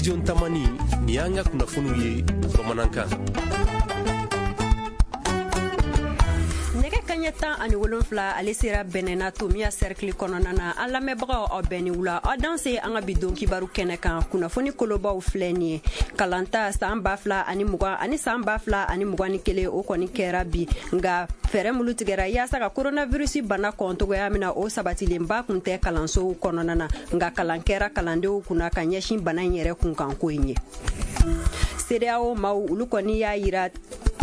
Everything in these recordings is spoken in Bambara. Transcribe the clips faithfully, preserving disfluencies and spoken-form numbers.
Télévision Tamani, nin y'an ka kunnafoniw ye bamanankan. Nɛgɛ kaɲɛ tan ani wolonfila ale sera bɛnɛna Tomiya cercle kɔnɔna na. An lamɛnbagaw, aw bɛɛ ni wula, aw danse an ka bi don kibaru kɛnɛ kan. Kunnafoni kolobaw filɛ nin ye: kalanta san ba fila ani mugan ani san ba fila ani mugan ni kelen, o kɔni kɛra bi, nka fɛɛrɛ mulu tigɛra yaasa ka coronavirus bana kɔn togoya min na, o sabatilenba kun tɛ kalansow kɔnɔna na, nka kalan kɛra kalandenw kunna ka ɲɛsin bana in yɛrɛ kunkanko in ye. CEDEAO maaw, olu kɔni y'a yira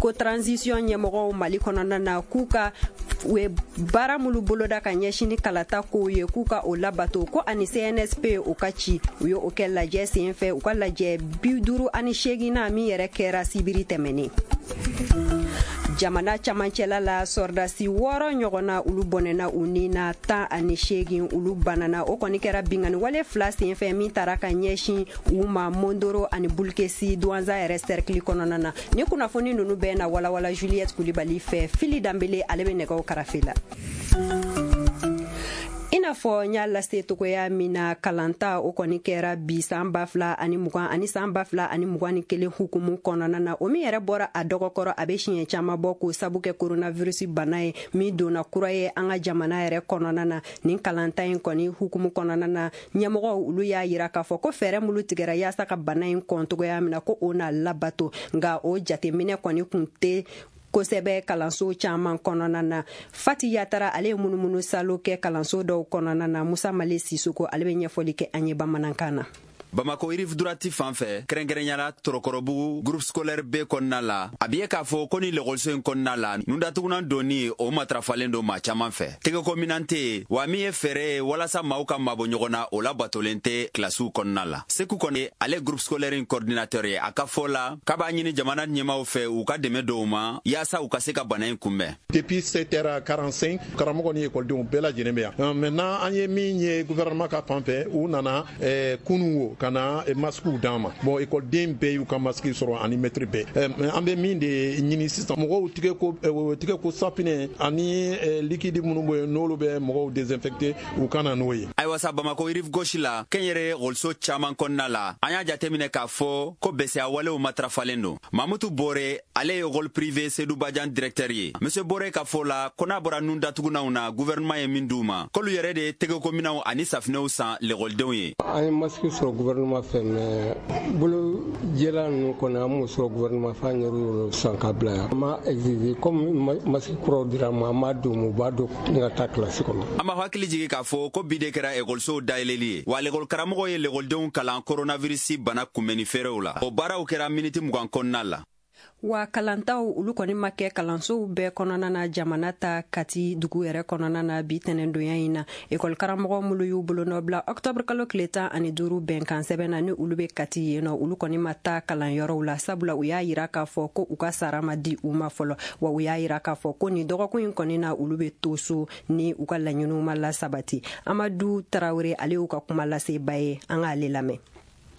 ko transition ɲɛmɔgɔw Mali kɔnɔna na, k'u ka u ye baara minnu boloda ka ɲɛsin ni kalata kow ye, k'u ka o labato, ko ani C N S P o ka ci. U ye o kɛ lajɛ sen fɛ, u ka lajɛ bi duuru ani seeginna min yɛrɛ kɛra sibiri tɛmɛnen. Jamana camancɛla la, sɔrɔdasi wɔɔrɔ ɲɔgɔnna, olu bɔnɛna u ni na, tan ani seegin olu banana. O kɔni kɛra bingani wale fila senfɛ min taara ka ɲɛsin u ma Mondoro ani Bulkesi, Duwanza yɛrɛ cercle kɔnɔna na. Ni kunnafoni nunu bɛɛ na walawala Juliette Kulibali fɛ. Fili Danbele, ale bɛ nɛgɛw karafe la. I n'a fɔ n y'a lase togoya min na, kalanta o kɔni kɛra bi san ba fila ani mugan ani san ba fila ani mugan ni kelen hukumu kɔnɔna na, o min yɛrɛ bɔra a dɔgɔkɔrɔ, a bɛ siɲɛ caman bɔ, k'o sabu kɛ coronavirus bana ye min donna kura ye an ka jamana yɛrɛ kɔnɔna na. Nin kalanta in kɔni hukumu kɔnɔna na, ɲɛmɔgɔw olu y'a yira k'a fɔ ko fɛɛrɛ minnu tigɛra yaasa ka bana in kɔn togoya min na, ko o na labato, nka o jateminɛ kɔni kun tɛ kosɛbɛ kalanso caman kɔnɔna na. Fati Yatara, ale ye munumunu salo kɛ kalanso dɔw kɔnɔna na. Musa Male Sisoko, ale bɛ ɲɛfɔli kɛ an ye bamanankan na. Bamako rive droite fan fɛ, kɛrɛnkɛrɛnyala Torokɔrɔbugu groupe scolaire B kɔnɔna la, a bi ye k'a fɔ ko ni lekɔliso in kɔnɔna la, nundatugunan donni o matarafalen don maa caaman fɛ. Tɛgɛko minan tɛ yen, wa min ye fɛɛrɛ ye walasa maaw ka mabɔ ɲɔgɔn na, o labatolen tɛ kilasiw kɔnɔna la. Seku kɔni, ale groupe scolaire in coordinateur ye, a ka fɔ la k'a b'a ɲini jamana ɲɛmaw fɛ, u ka dɛmɛ dɔw ma yaasa u ka se ka bana in kunbɛn. Depuis sept heures quarante-cinq, karamɔgɔ ni ekɔlidenw bɛɛ lajɛlen bɛ yan. Maintenant, an ye min ye gouvernement ka fan fɛ, u nana eh, kunun wo ka na masques d'an ma. Bon, ekɔliden bɛɛ y'u ka masque sɔrɔ ani maître bɛɛ. An bɛ min de ɲini sisan, mɔgɔw tigɛ ko tigɛ ko safinɛ ani liquide minnu bɛ yen, n'olu bɛ mɔgɔw désinfecter, u ka na n'o ye. Ayiwa sa, Bamako rive gauche la, kɛnyɛrɛ ekɔliso caaman kɔnɔna la, an y'a jateminɛ k'a fɔ ko bɛsɛya walew matarafalen don. Mamutu Bore, ale ye école privée Sedu Bajan directeur ye. Monsieur Bore ka fɔ la ko n'a bɔra nun datugunanw na, gouvernement ye min d'u ma, k'olu yɛrɛ de ye tɛgɛkominɛw ani safinɛw san lekɔlidenw ye. An ye masque sɔrɔ gouvernement fɛ, mais bolo jɛla ninnu kɔni, an m'o sɔrɔ gouvernement fɛ, an yɛrɛ y'o san ka bila yan. An m'a exiger comme masque kuraw dira an ma, an b'a d'u ma, u b'a don ni ka taa kilasi kɔnɔ. An b'a hakili jigi k'a fɔ ko bi de kɛra ekɔlisow dayɛlɛli ye, wa lekɔli karamɔgɔw ye lekɔlidenw kalan coronavirus bana kunbɛnni fɛɛrɛw la. O baaraw kɛra miniti mugan kɔnɔna la. Wa kalantaw, olu kɔni ma kɛ kalansow bɛɛ kɔnɔna na jamana ta Kati dugu yɛrɛ kɔnɔna na bi tɛnɛndonya in na. Ekɔli karamɔgɔ minnu y'u bolonɔ bila ɔktɔburu kalo tile tan ani duuru bɛnkan sɛbɛn na, ni olu bɛ Kati yen nɔ, olu kɔni ma taa kalanyɔrɔw la, sabula u y'a yira k'a fɔ ko u ka sara ma di u ma fɔlɔ. Wa u y'a yira k'a fɔ ko nin dɔgɔkun in kɔni na, olu bɛ to so ni u ka laɲiniw ma lasabati. Amadu Tarawele, ale y'u ka kuma laseba ye, an k'ale lamɛn.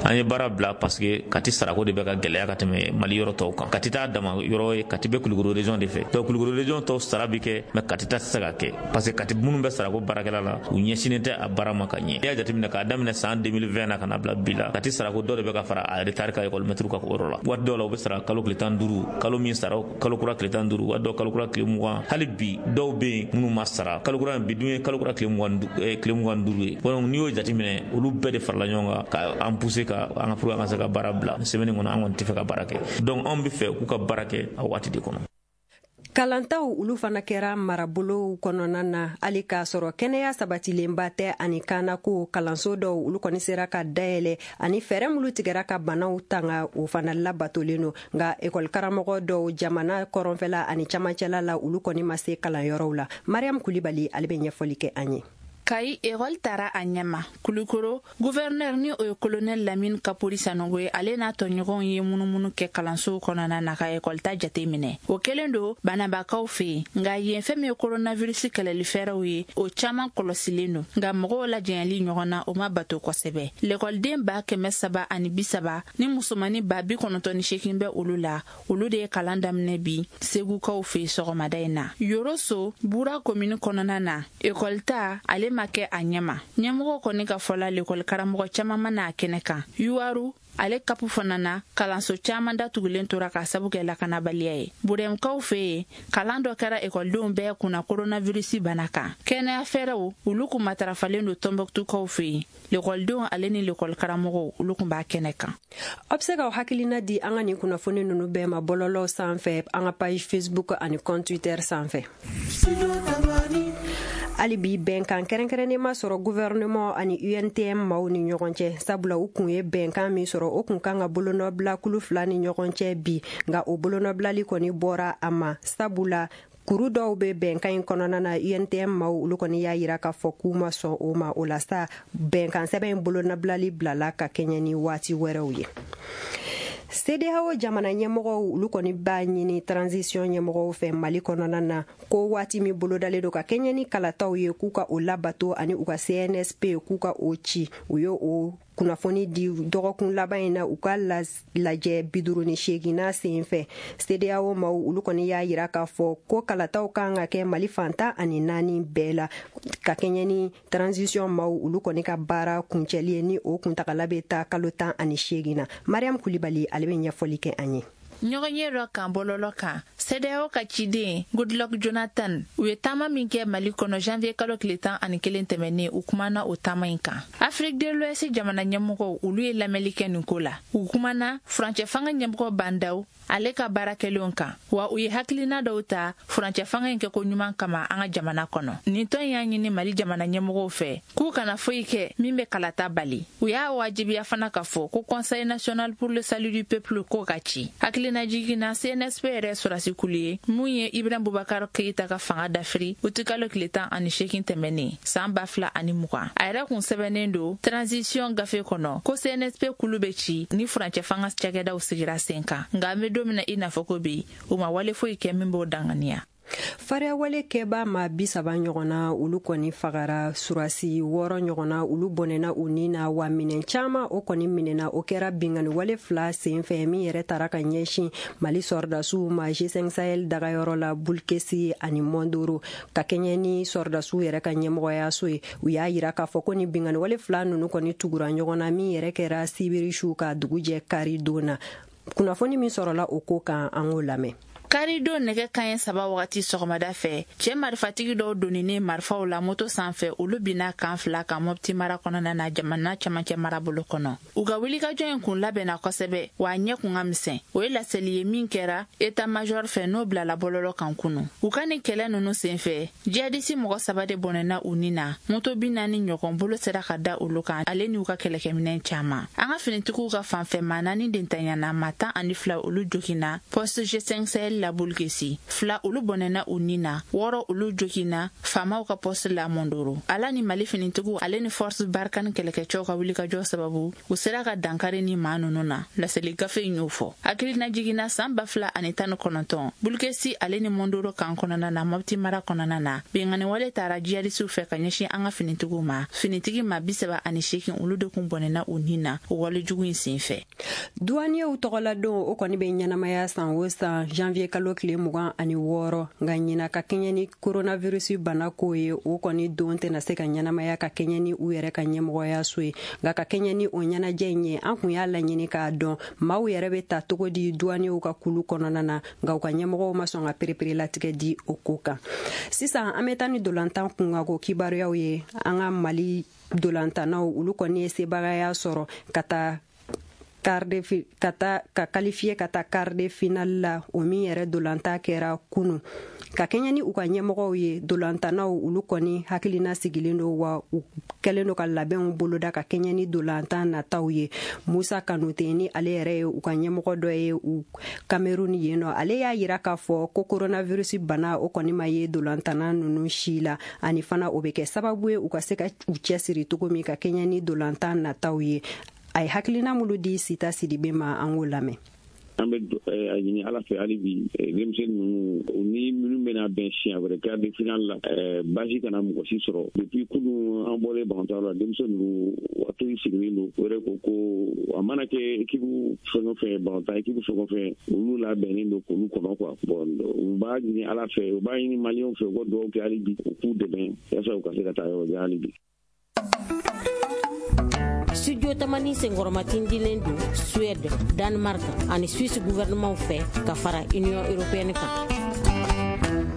An ye baara bila parce que Kati sarako de bɛ ka gɛlɛya ka tɛmɛ Mali yɔrɔ tɔw kan. Kati t'a dama yɔrɔ ye, Kati bɛ Kulukoro région de fɛ. Donc Kulukoro région tɔw sara bi kɛ, mais Kati ta tɛ se ka kɛ parce que Kati minnu bɛ sarako baarakɛla la, u ɲɛsinnen tɛ a baara ma ka ɲɛ. N'i y'a jateminɛ k'a daminɛ san deux mille vingt na ka na bila bi la, Kati sarako dɔ de bɛ ka fara a retard kan école maître ka yɔrɔ la. Waati dɔw la, u bɛ sara kalo tile tan duuru, kalo min sara kalo kura tile tan duuru, waati dɔw kalo kura tile mugan. Hali bi dɔw bɛ yen minnu ma sara kalo kura. Bi dun ye kalo kura tile mugan tile mugan duuru ye. Donc n'i y'o jateminɛ, olu bɛɛ de farala ɲɔgɔn kan ka an pousser ka an ka pour an ka se ka baara bila semaine kɔnɔ. An kɔni tɛ fɛ ka baara kɛ, donc anw bɛ fɛ k'u ka baara kɛ a waati de kɔnɔ. Kalantaw, olu fana kɛra marabolow kɔnɔna na, hali k'a sɔrɔ kɛnɛya sabatilenba tɛ ani kanako. Kalanso dɔw, olu kɔni sera ka dayɛlɛ, ani fɛɛrɛ minnu tigɛra ka banaw tanga, o fana labatolen don, nka ekɔli karamɔgɔ dɔw jamana kɔrɔnfɛla ani camancɛla la, olu kɔni ma se kalanyɔrɔw la. Mariam Kulibali, ale bɛ ɲɛfɔli kɛ an ye. Kayi, ekɔli tara a ɲɛma. Kulukoro gouverneur, ni o ye colonel Lamine Kapori Sanogo ye, ale n'a tɔɲɔgɔnw ye munumunu kɛ kalansow kɔnɔna na ka ekɔli ta jate minɛ. O kɛlen don banabakaw fɛ yen, nka yen fɛn min ye coronavirus kɛlɛli fɛɛrɛw ye, o caaman kɔlɔsilen don, nka mɔgɔw lajɛyali ɲɔgɔn na, o ma bato kosɛbɛ. Lekɔliden ba kɛmɛ saba ani bi saba ni musomani ba bi kɔnɔntɔn ni seegin bɛ olu la, olu de ye kalan daminɛ bi Segukaw fɛ sɔgɔmada in na. Yoroso Bura komini kɔnɔna na, ekɔli ta ale ma kɛ a ɲɛma. Ɲɛmɔgɔ kɔni ka fɔla, lekɔli karamɔgɔ caman ma n'a kɛnɛ kan yuwaru. Ale kapu fana na, kalanso caman datugulen tora k'a sabu kɛ lakanabaliya ye. Burɛmukaw fɛ yen, kalan dɔ kɛra ekɔlidenw bɛɛ kunna koronavirisi bana kan. Kɛnɛya fɛɛrɛw olu kun matarafalen don Tɔnbɔkutukaw fɛ yen. Lekɔlidenw ale ni lekɔlikaramɔgɔw olu kun b'a kɛnɛ kan. Aw bɛ se k'aw hakilina di an ka nin kunnafoni ninnu bɛɛ ma bɔlɔlɔw sanfɛ, an ka page Facebook ani compte Twitter sanfɛ. Hali bi bɛnkan kɛrɛnkɛrɛnnen ma sɔrɔ gouvernement ani U N T M maaw ni ɲɔgɔn cɛ, sabula u kun ye bɛnkan min sɔrɔ o kun kan ka bolonɔbila kulu fila ni ɲɔgɔn cɛ bi, nka o bolonɔbilali kɔni bɔra a ma, sabula kuru dɔw bɛ bɛnkan in kɔnɔna na. U N T M maaw olu kɔni y'a yira k'a fɔ k'u ma sɔn o ma. O la sa, bɛnkan sɛbɛn in bolonɔbilali bilala ka kɛɲɛ ni waati wɛrɛw ye. C D A O jamana ɲɛmɔgɔw olu kɔni b'a ɲini transition ɲɛmɔgɔw fɛ Mali kɔnɔna na ko waati min bolodalen don ka kɛɲɛ ni kalataw ye, k'u ka o labato ani u ka C N S P k'u ka o ci. U ye o kunnafoni di dɔgɔkun laban in na u ka lajɛ bi duuru ni seeginna sen fɛ. C D A O maaw olu kɔni y'a yira k'a fɔ ko kalataw kan ka kɛ Mali fantan ani naani bɛɛ la ka kɛɲɛ ni transition maaw olu kɔni ka baara kuncɛli ye, ni o kuntagala bɛ taa kalo tan ani seegin na. Mariam Kulibali ale bɛ ɲɛfɔli kɛ an ye. Ɲɔgɔn ye dɔ kan bɔlɔlɔ kan, C D A O ka ciden Goodluck Jonathan u ye taama min kɛ Mali kɔnɔ janvier kalo tile tan ani kelen tɛmɛnen, u kumana o taama in kan. Afrique de l'Ouest jamana ɲɛmɔgɔw olu ye lamɛnli kɛ nin ko la. U kumana furancɛ fanga ɲɛmɔgɔ Bandaw ale ka baara kɛlenw kan, wa u ye hakilina dɔw ta furancɛ fanga in kɛko ɲuman kama an ka jamana kɔnɔ. Nin tɔn y'a ɲini Mali jamana ɲɛmɔgɔw fɛ k'u kana foyi kɛ min bɛ kalata bali. U y'a wajibiya fana k'a fɔ ko Conseil national pour le salut du peuple k'o ka ci. Hakilina jiginna C N S P yɛrɛ sɔrɔsi kulu ye mun ye Ibrahim Boubacar Keïta ka fanga dafiri utikalo tile tan ani seegin tɛmɛnen san ba fila ani mugan. A yɛrɛ kun sɛbɛnnen don transition gafe kɔnɔ ko C N S P kulu bɛ ci ni furancɛ fanga cakɛdaw sigira sen kan, nka an bɛ don min na i n'a fɔ ko bi u ma wale foyi kɛ min b'o danganiya. Fariyawale kɛba maa bi saba ɲɔgɔnna olu kɔni fagara, surasi wɔɔrɔ ɲɔgɔnna olu bɔnɛna u ni na, wa minɛn caman o kɔni minɛna. O kɛra binkanni wale fila sen fɛ min yɛrɛ taara ka ɲɛsin Mali sɔrɔdasiw ma G cinq Sahel dagayɔrɔ la Bulkesi ani Mondoro, ka kɛɲɛ ni sɔrɔdasiw yɛrɛ ka ɲɛmɔgɔyaso ye. U y'a yira k'a fɔ ko ni binkanni wale fila ninnu kɔni tugura ɲɔgɔn na min yɛrɛ kɛra sibiri su ka dugu jɛ kari don na. Kunnafoni min sɔrɔla o ko kan, an k'o lamɛn. Karidon nɛgɛ kanɲɛ saba wagati sɔgɔmada fɛ, cɛ marifatigi dɔw donninen marifaw la moto sanfɛ olu binna kan fila kan Mopti mara kɔnɔna na jamana camancɛ marabolo kɔnɔ. U ka wulikajɔ in kun labɛnna kosɛbɛ, wa a ɲɛ kun ka misɛn. O ye laseli ye min kɛra état major fɛ n'o bilala bɔlɔlɔ kan kunu. U ka nin kɛlɛ ninnu senfɛ, jihadisi mɔgɔ saba de bɔnɛna u ni na, moto bi naani ɲɔgɔn bolo sera ka da olu kan ale n'u ka kɛlɛkɛminɛn caman. An ka finitigiw ka fanfɛ maa naani de ntanyana, maa tan ani fila olu joginna poste G cinq Sahel la Bulkesi, fila olu bɔnɛna u ni na, wɔɔrɔ olu joginna faamaw ka poste la Mondoro. Ala ni Mali finitigiw ale ni force Barkhane kɛlɛkɛcɛw ka wulikajɔ sababu u sera ka dankari ni maa ninnu na, laseli gafe in y'o fɔ. Hakilina jiginna san ba fila ani tan ni kɔnɔntɔn Bulkesi ale ni Mondoro kan kɔnɔna na Mopti mara kɔnɔna na, binkanni wale taara jihadisiw fɛ ka ɲɛsin an ka finitigiw ma. Finitigi maa bi saba ani seegin olu de kun bɔnɛna u ni na o walejugu in senfɛ. Douaniers tɔgɔladon o kɔni bɛ ɲɛnamaya san o san janvier kalo tile mugan ani wɔɔrɔ, nka ɲina ka kɛɲɛ ni coronavirus bana ko ye, o kɔni don tɛna se ka ɲɛnamaya ka kɛɲɛ ni u yɛrɛ ka ɲɛmɔgɔyaso ye. Nka ka kɛɲɛ ni o ɲɛnajɛ in ye, an kun y'a laɲini k'a dɔn maaw yɛrɛ bɛ ta cogo di douaniers ka kulu kɔnɔna na, nka u ka ɲɛmɔgɔw ma sɔn ka pereperelatigɛ di o ko kan. Sisan an bɛ taa ni dolantan kunkanko kibaruyaw ye. An ka Mali dolantannaw olu kɔni ye sebagaya sɔrɔ ka taa ka taa ka qualifier ka taa quart de finale la, o min yɛrɛ dolanta kɛra kunu. Ka kɛɲɛ ni u ka ɲɛmɔgɔw ye, dolantannaw olu kɔni hakilina sigilen don, wa u kɛlen don ka labɛnw boloda ka kɛɲɛ ni dolantan nataw ye. Musa Kanute ni ale yɛrɛ ye u ka ɲɛmɔgɔ dɔ ye u Cameroun yen nɔ, ale y'a yira k'a fɔ ko coronavirus bana o kɔni ma ye dolantanna ninnu si la, ani fana o bɛ kɛ sababu ye u ka se ka u cɛsiri cogo min ka kɛɲɛ ni dolantan nataw ye. A ye hakilina minnu di Sita Sidibe ma, an k'o lamɛn. An bɛ a ɲini Ala fɛ hali bi denmisɛnnin ninnu u ni minnu bɛna bɛn siɲɛ wɛrɛ quart de finale la, baasi kana mɔgɔ si sɔrɔ. Depuis kunun an bɔlen Bamakɔ la, denmisɛnnin ninnu waati sigilen don, o yɛrɛ ko ko a mana kɛ équipe fɛn o fɛn, Bamakɔ équipe fɛn o fɛn, olu labɛnnen don k'olu kɔnɔ quoi. Bon, u b'a ɲini Ala fɛ, u b'a ɲini maliyɛnw fɛ, u ka dugawu kɛ hali bi u k'u dɛmɛ yaasa u ka se ka taa yɔrɔ jan hali bi. Studio Tamani senkɔrɔmatindilen don Suède, Danemark ani Suisse gouvernement fɛ ka fara Union européenne kan.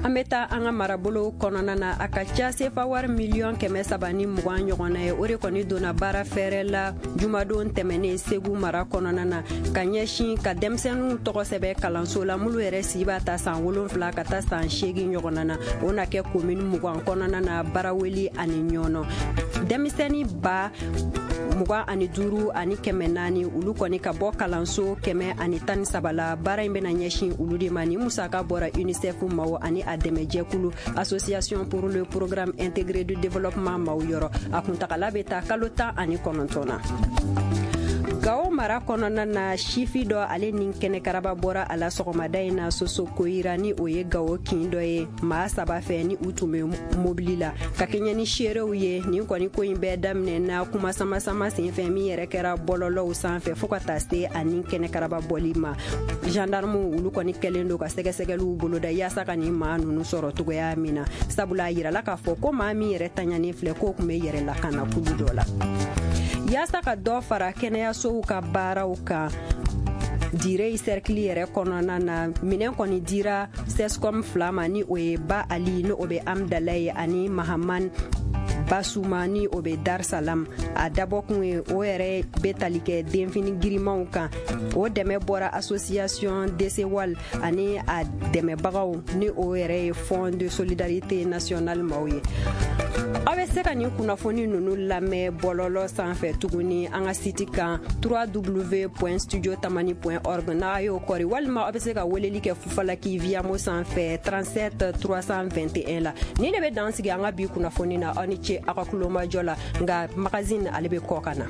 An bɛ taa an ka marabolo kɔnɔna na. A ka ca sefa wari miliyɔn kɛmɛ saba ni mugan ɲɔgɔnna ye, o de kɔni donna baara fɛrɛ la jumadon tɛmɛnen Segu mara kɔnɔna na, ka ɲɛsin ka denmisɛnninw tɔgɔ sɛbɛn kalanso la, minnu yɛrɛ si b'a ta san wolonfila ka taa san seegin ɲɔgɔnna na. O na kɛ komini mugan kɔnɔna na, Baraweli ani Ɲɔnɔ. Denmisɛnnin ba mugan ani duuru ani kɛmɛ naani, olu kɔni ka bɔ kalanso kɛmɛ ani tan ni saba la. Baara in bɛna ɲɛsin olu de ma. Ni musaka bɔra UNICEF maaw ani a dɛmɛjɛkulu Association pour le programme intégré du développement maaw yɔrɔ. A kuntagala bɛ taa kalo tan ani kɔnɔntɔn na. Gawo mara kɔnɔna na, sifi dɔ ale ni kɛnɛkaraba bɔra a la sɔgɔmada in na Soso Koyira, ni o ye Gawo kin dɔ ye, maa saba fɛ ni u tun bɛ mobili la. Ka kɛɲɛ ni seerew ye, nin kɔni ko in bɛɛ daminɛ na kuma sama-sama senfɛ min yɛrɛ kɛra bɔlɔlɔw sanfɛ, fo ka taa se ani kɛnɛkaraba bɔli ma. Gendarmew, olu kɔni kɛlen don ka sɛgɛsɛgɛliw boloda yaasa ka nin maa ninnu sɔrɔ cogoya min na, sabula a yirala k'a fɔ ko maa min yɛrɛ taɲanen filɛ, k'o tun bɛ yɛrɛ lakana kulu dɔ la. Yaasa ka dɔ fara kɛnɛyasow ka baaraw kan Direi cercle yɛrɛ kɔnɔna na, minɛn kɔni dira C S C O M fila ma, ni o ye Ba Ali, ni o bɛ Amdalaye, ani Mahaman Basuma, ni o bɛ Dar Salam. A dabɔkun ye o yɛrɛ bɛ tali kɛ denfini girimanw kan. O dɛmɛ bɔra association D C W A L ani a dɛmɛbagaw, ni o yɛrɛ ye Fonds de solidarité nationale maaw ye. Aw bɛ se ka nin kunnafoni ninnu lamɛn bɔlɔlɔ sanfɛ tuguni an ka site kan, w w w point studio tamani point org, n'a y'o kɔri, walima aw bɛ se ka weleli kɛ Fufalaki Viamo sanfɛ trente-sept trois cent vingt et un la. Nin de bɛ dan sigi an ka bi kunnafoni na. Aw ni ce aw ka kulomajɔ la, nka magazine ale bɛ kɔ ka na.